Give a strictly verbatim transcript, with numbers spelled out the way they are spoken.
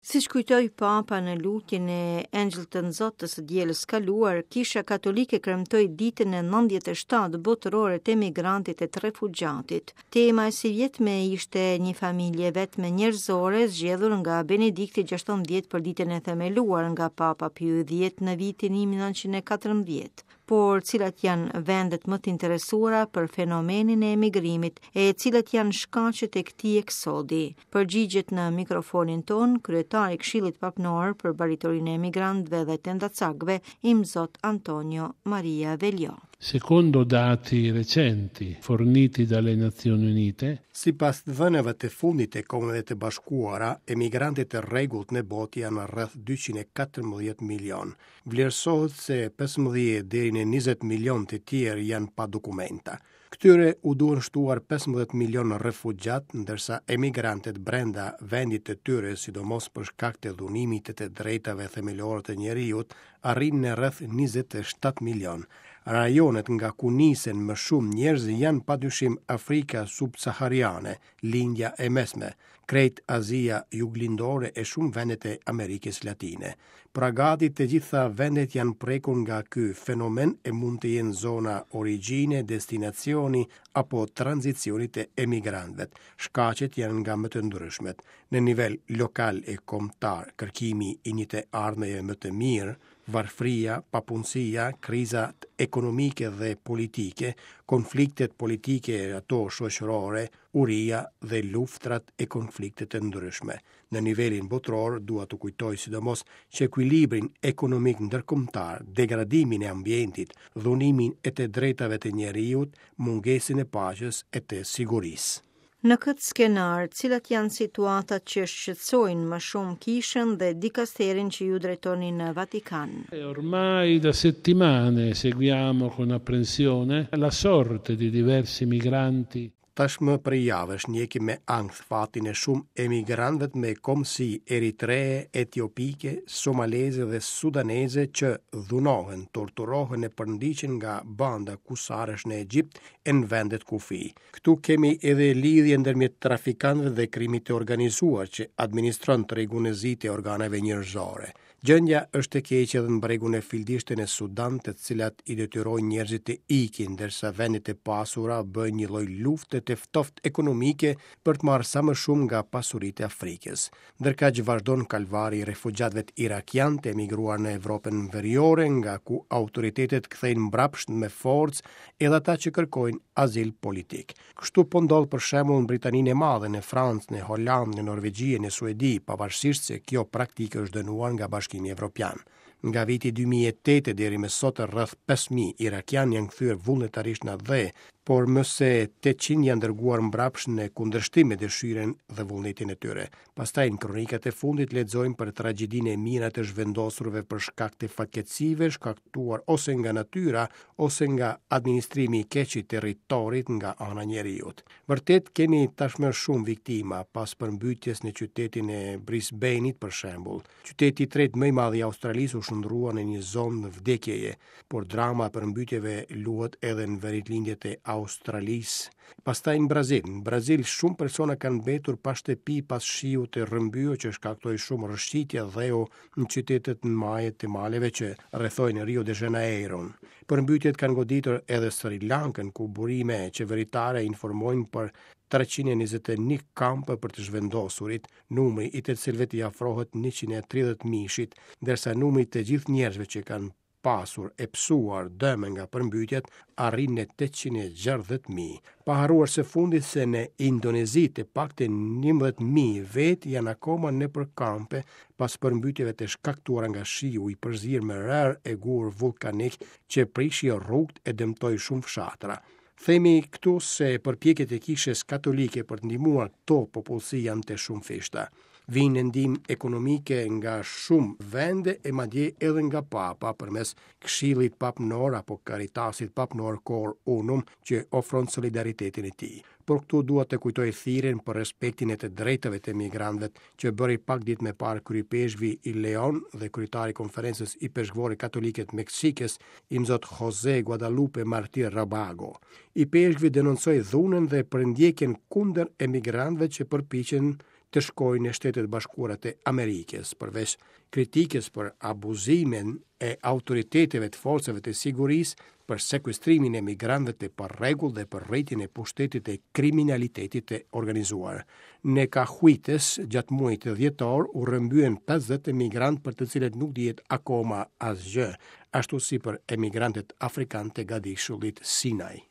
Siç kujtoi Papa në lutjen e Engjëllit të Zotit të së dielës kaluar, Kisha Katolike kremtoi ditën e nëntëdhjetë e shtatë botërore të emigrantit e të refugjatit. Tema e sivjetme ishte një familje vetme njerëzore zgjedhur nga Benedikti gjashtëmbëdhjetë për ditën e themeluar nga Papa Piu dhjetë në vitin një mijë e nëntëqind e katërmbëdhjetë. Por cilat janë vendet më të interesuara për fenomenin e emigrimit e cilat janë shkaqet e këtij eksodi? Përgjigjet në mikrofonin ton kryetari i Këshillit Papnor për Baritorinë e Emigrantëve dhe Tendacakëve, Imzot Antonio Maria Velio. Secondo dati recenti forniti dalle Nazioni Unite, sipas dhënave të fundit të Kombeve të Bashkuara, emigrantët e rregullt në botë janë rreth dyqind e katërmbëdhjetë milion. Vlerësohet se pesëmbëdhjetë deri në njëzet milion të tjerë janë pa dokumenta. Këtyre u duhen shtuar pesëmbëdhjetë milion refugjat, ndërsa emigrantët brenda vendit të tyre, sidomos për shkak të dhunimit të të drejtave themelore të njeriut, arrijnë në rreth njëzet e shtatë milion. Rajonet nga ku nisen më shumë njerëz janë padyshim Afrika subsahariane, Lindja e Mesme, krejt Azia juglindore e shumë vendet e Amerikës Latine. Pra gati të gjitha vendet janë prekur nga ky fenomen e mund të jenë zona origjine, destinacioni apo tranzicioni të emigrantëve. Shkaqet janë nga më të ndryshmet. Në nivel lokal e kombëtar, kërkimi i një të ardhmeje më të mirë, varfëria, papunësia, krizat ekonomike dhe politike, konfliktet politike e ato shoqërore, uria dhe luftrat e konfliktet e ndryshme. Në nivelin botëror, dua të kujtoj sidomos që ekuilibrin ekonomik ndërkombëtar, degradimin e ambientit, dhunimin e të drejtave të njeriut, mungesën e paqes e të sigurisë. Në këtë skenar, cilat janë situatat që shqetësojnë më shumë kishën dhe dikasterin që ju drejtoni në Vatikan? E ormai da settimane seguiamo con apprensione la sorte di diversi migranti. Tashmë prej javësh ndjekim me ankth fatin e shumë emigrantëve me kombësi eritree, etiopike, somaleze dhe sudaneze që dhunohen, torturohen e përndiqen nga banda kusarësh në Egjipt e në vendet kufi. Këtu kemi edhe lidhje ndërmjet trafikantëve dhe krimit të organizuar që administron tregun e zi të organeve njerëzore. Gjendja është e keqe edhe në bregun e Fildishtë në Sudan, të cilat i detyrojnë njerëzit të ikin, ndërsa vendet e pasura bëjnë një lloj lufte të ftohtë ekonomike për të marrë sa më shumë nga pasuritë e Afrikës. Ndërkaq vazhdon kalvari i refugjatëve irakian të emigruar në Evropën Veriore, nga ku autoritetet kthejnë mbrapsht me forcë edhe ata që kërkojnë azil politik. Kështu po ndodh për shembull në Britaninë e Madhe, në Francë, në Holandë, në Norvegji e në Suedi, pavarësisht se kjo praktikë është dënuar nga Bashkimi Evropian. Nga viti dy mijë e tetë deri më sot rreth pesë mijë irakian janë kthyer vullnetarisht në atdhe, por më se tetëqind janë dërguar mbrapsht në kundërshtim me dëshirën dhe vullnetin e tyre. Pastaj në kronikat e fundit lexojmë për tragjedinë e mijëra të zhvendosurve për shkak të fatkeqësive shkaktuar ose nga natyra ose nga administrimi i keq i territorit nga ana e njeriut. Vërtet kemi tashmë shumë viktima pas përmbytjes në qytetin e Brisbane-it për shembull. Qyteti i tretë më i madh i Australisë u shndërrua në një zonë vdekjeje, por drama e përmbytjeve luhet edhe në verilindje të Australisë. Pastaj në Brazil. Në Brazil shumë persona kanë mbetur pa shtëpi pas shiut të rrëmbyer që shkaktoi shumë rrëshqitje dheu në qytetet në maje të maleve që rrethojnë Rio de Janeiron. Përmbytjet kanë goditur edhe Sri Lankën, ku burime qeveritare informojnë për treqind e njëzet e një kampe për të zhvendosurit, numri i të cilëve i afrohet njëqind e tridhjetë mishit, ndërsa numri i të gjithë njerëzve që kanë pasur e pësuar dëme nga përmbytjet arrin në tetëqind e gjashtëdhjetë mijë. Pa harruar së fundit se në Indonezi të paktën njëmbëdhjetë mijë vetë janë akoma nëpër kampe pas përmbytjeve të shkaktuara nga shiu i përzier me rërë e gur vullkanik që prishi rrugët e dëmtoi shumë fshatra. Themi këtu se përpjekjet e Kishës Katolike për të ndihmuar këto popullsi janë të shumëfishta. Vijnë në ndihmë ekonomike nga shumë vende e madje edhe nga Papa përmes Këshillit Papnor apo Caritasit Papnor Cor Unum që ofron solidaritetin e tij. Por këtu dua të kujtoj thirrjen për respektin e të drejtave të emigrantëve që bëri pak ditë më parë kryepeshkvi i Leon dhe kryetari i Konferencës Ipeshkvore Katolike të Meksikës, Imzot Jose Guadalupe Martir Rabago. Ipeshkvi denoncoi dhunën dhe përndjekjen kundër emigrantëve që përpiqen të shkojnë në Shtetet e Bashkuara të Amerikës. Përveç kritikës për abuzimin e autoriteteve të forcave të sigurisë, për sekuestrimin e migrantëve të parregullt dhe për rritjen e pushtetit të kriminalitetit të organizuar. Në Cahuites, gjatë muajit dhjetor, u rrëmbyen pesëdhjetë emigrantë për të cilët nuk dihet akoma asgjë, ashtu si për emigrantët afrikanë të gadishullit Sinai.